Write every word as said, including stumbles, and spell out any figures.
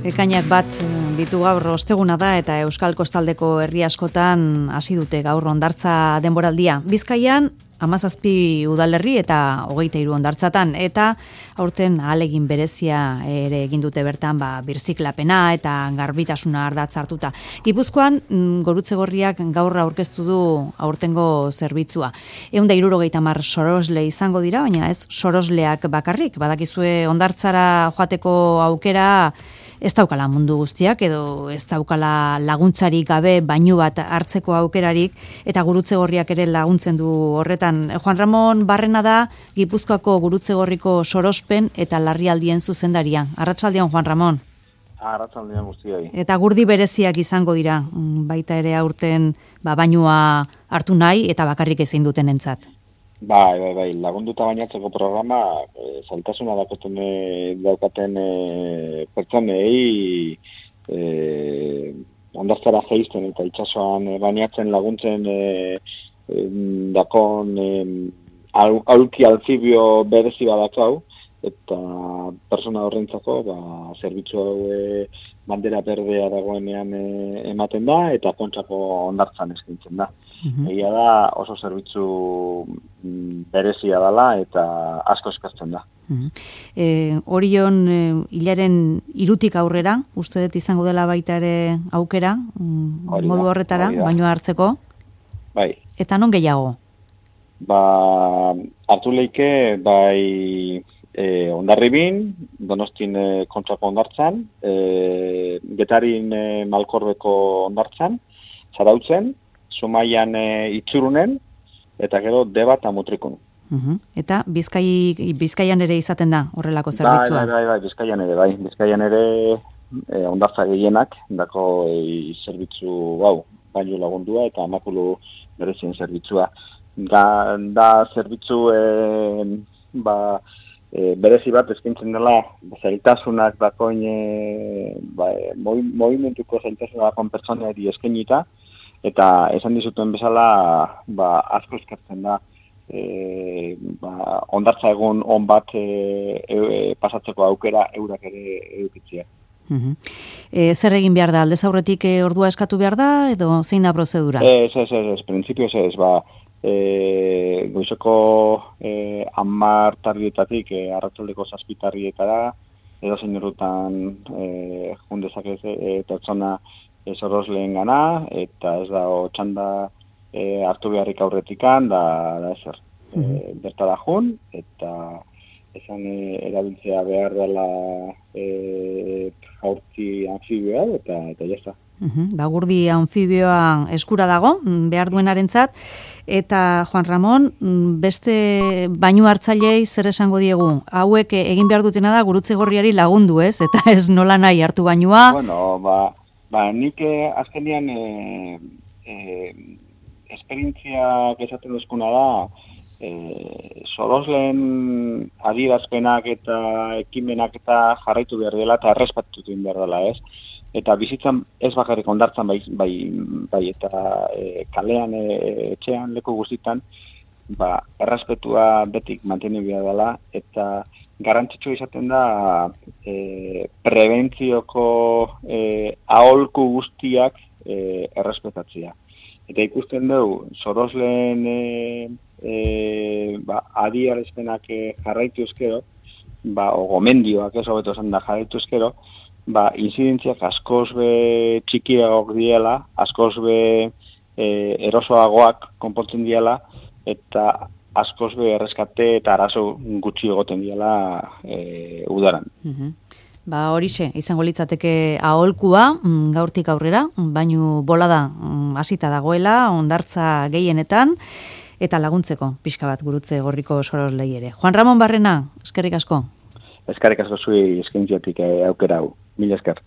Ekainak bat ditu gaur osteguna da eta Euskal Kostaldeko herri askotan hasi dute gaur hondartza denboraldia. Bizkaian hamazazpi udalerri eta hogeita hiru hondartzatan eta aurten ahalegin berezia ere egin dute bertan ba birziklapena eta garbitasuna ardatz hartuta. Gipuzkoan Gurutze Gorriak gaur aurkeztu du aurtengo zerbitzua. ehun eta hirurogeita hamar sorosle izango dira, baina ez sorosleak bakarrik. Badakizue hondartzara joateko aukera ez daukala mundu guztiak edo ez daukala laguntzarik gabe bainu bat hartzeko aukerarik eta Gurutze Gorriak ere laguntzen du horretan. Juan Ramon Barrena da Gipuzkoako Gurutze Gorriko sorospen eta larrialdien zuzendaria. Arratsaldean, Juan Ramon. Arratsaldean guztioi. Eta gurdi bereziak izango dira, baita ere aurten ba, bainua hartu nahi eta bakarrik ezin dutenentzat. Bai, bai, bai, lagunduta bainatzeko programa, e, zailtasuna dakoten e, daukaten e, pertsonei e, hondartzara jaisten eta itsasoan e, bainatzen laguntzen e, e, dakon e, al, aulki alfibio berezi badakau, eta persona horrentzako ba, zerbitzu hau e, bandera berdea dagoenean e, ematen da eta kontrako hondartzan eskaintzen da. Uhum. Egia da oso zerbitzu berezia dela eta asko eskatzen da. Uhum. E, Orion e, hilaren irutik aurrera, uste dut izango dela baita ere aukera, Orida, modu horretara, orida. Baino hartzeko. Bai. Eta non gehiago? Ba, hartu leike, bai, e, Hondarribin, Donostin e, kontrako hondartzan, e, Getarin e, Malkorbeko hondartzan, Zarautzen, Zumaian e, Itzurunen, eta gero Deba eta Mutrikun. Uh-huh. Eta Bizkai, Bizkaian ere izaten da horrelako zerbitzua? Bai, bai, bai, Bizkaian ere, bai. Bizkaian ere e, hondartza gehienak, dako e, zerbitzu, bau, baino lagundua eta makulu berezien zerbitzua. Da, da zerbitzu, e, ba, e, berezi bat eskaintzen dela, zailtasunak dakoin, e, ba, movimentuko zailtasunak dakon pertsonari eskainita, eta esan dizuten bezala, ba, asko eskartzen da, e, ba, hondartza egun on bat e, e, pasatzeko aukera eurak ere edukitzea. Uh-huh. E, zer egin behar da? Aldez aurretik e, ordua eskatu behar da, edo zein da prozedura? Ez, ez, ez, ez, printzipioz ez, ba, e, goizeko e, hamar tardietatik e, arratsaldeko zazpi tardietara, edo zein urrutan e, jundezak ez e, pertsona sorosleen gana, eta ez da txanda e, hartu beharrik aurretikan, da, da ezer. Mm-hmm. E, bertara jun, eta esan e, erabiltzea behar dela e, jaurtzi anfibioa, eta, eta jazta. Mm-hmm. Ba, gurdi anfibioa eskura dago, behar duenarentzat, eta Juan Ramon, beste bainu hartzailei zer esango diegu? Hauek egin behar dutena da Gurutze Gorriari lagundu, ez? Eta ez nola nahi hartu bainua? Bueno, ba, Ba, nik eh, azkenean eh, eh, esperientziak esaten duzkuna da, eh, sorosleen adierazpenak eta ekimenak eta jarraitu behar dela eta errespetatu behar dela, ez? Eta bizitzan ez bakarrik hondartzan bai, bai, bai eta eh, kalean, eh, etxean, leku guztitan, ba, errespetua betik mantendu behar dela eta garrantzitsua izaten da e, prebentzioko e, aholku guztiak e, errespetatzea. Eta ikusten dugu, sorosleen e, e, ba, adierazpenak e, jarraitu eskero, ba, o gomendioak ez hobeto esan da jarraitu eskero, ba, inzidentziak askoz be txikiagoak diela, askoz be e, erosoagoak konpontzen diela, eta askoz be erreskate eta arazo gutxi egoten diela e, udaran. Uh-huh. Ba horixe, izango litzateke aholkua, gaurtik aurrera, bainu bolada hasita dagoela, hondartza gehienetan, eta laguntzeko pixka bat Gurutze Gorriko soroslei ere. Juan Ramon Barrena, eskerrik asko. Eskerrik asko zui eskaintziatik aukera hau. Mila esker.